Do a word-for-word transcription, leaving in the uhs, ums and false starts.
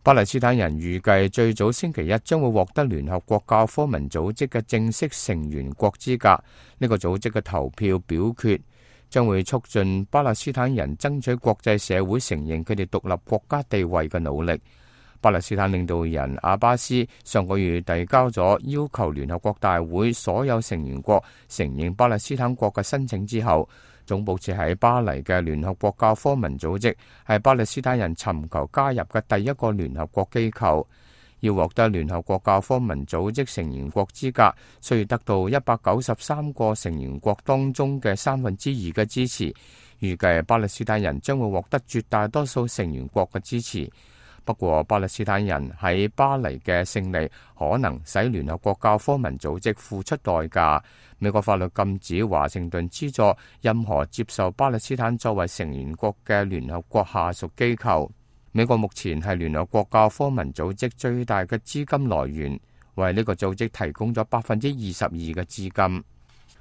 巴勒斯坦人預計最早星期一將會獲得聯合國教科文組織嘅正式成員國資格。呢個組織嘅投票表決將會促進巴勒斯坦人爭取國際社會承認佢哋獨立國家地位嘅努力。巴勒斯坦領導人阿巴斯上個月遞交咗要求聯合國大會所有成員國承認巴勒斯坦國嘅申請之後，總部設喺巴黎嘅聯合國教科文組織係巴勒斯坦人尋求加入嘅第一個聯合國機構。要獲得聯合國教科文組織成員國資格，需要得到一百九十三個成員國當中嘅三分之二嘅支持。預計巴勒斯坦人將會獲得絕大多數成員國嘅支持。不過，巴勒斯坦人喺巴黎嘅勝利可能使聯合國教科文組織付出代價。美國法律禁止華盛頓資助任何接受巴勒斯坦作為成員國嘅聯合國下屬機構。美國目前係聯合國教科文組織最大嘅資金來源，為呢個組織提供咗百分之二十二嘅資金。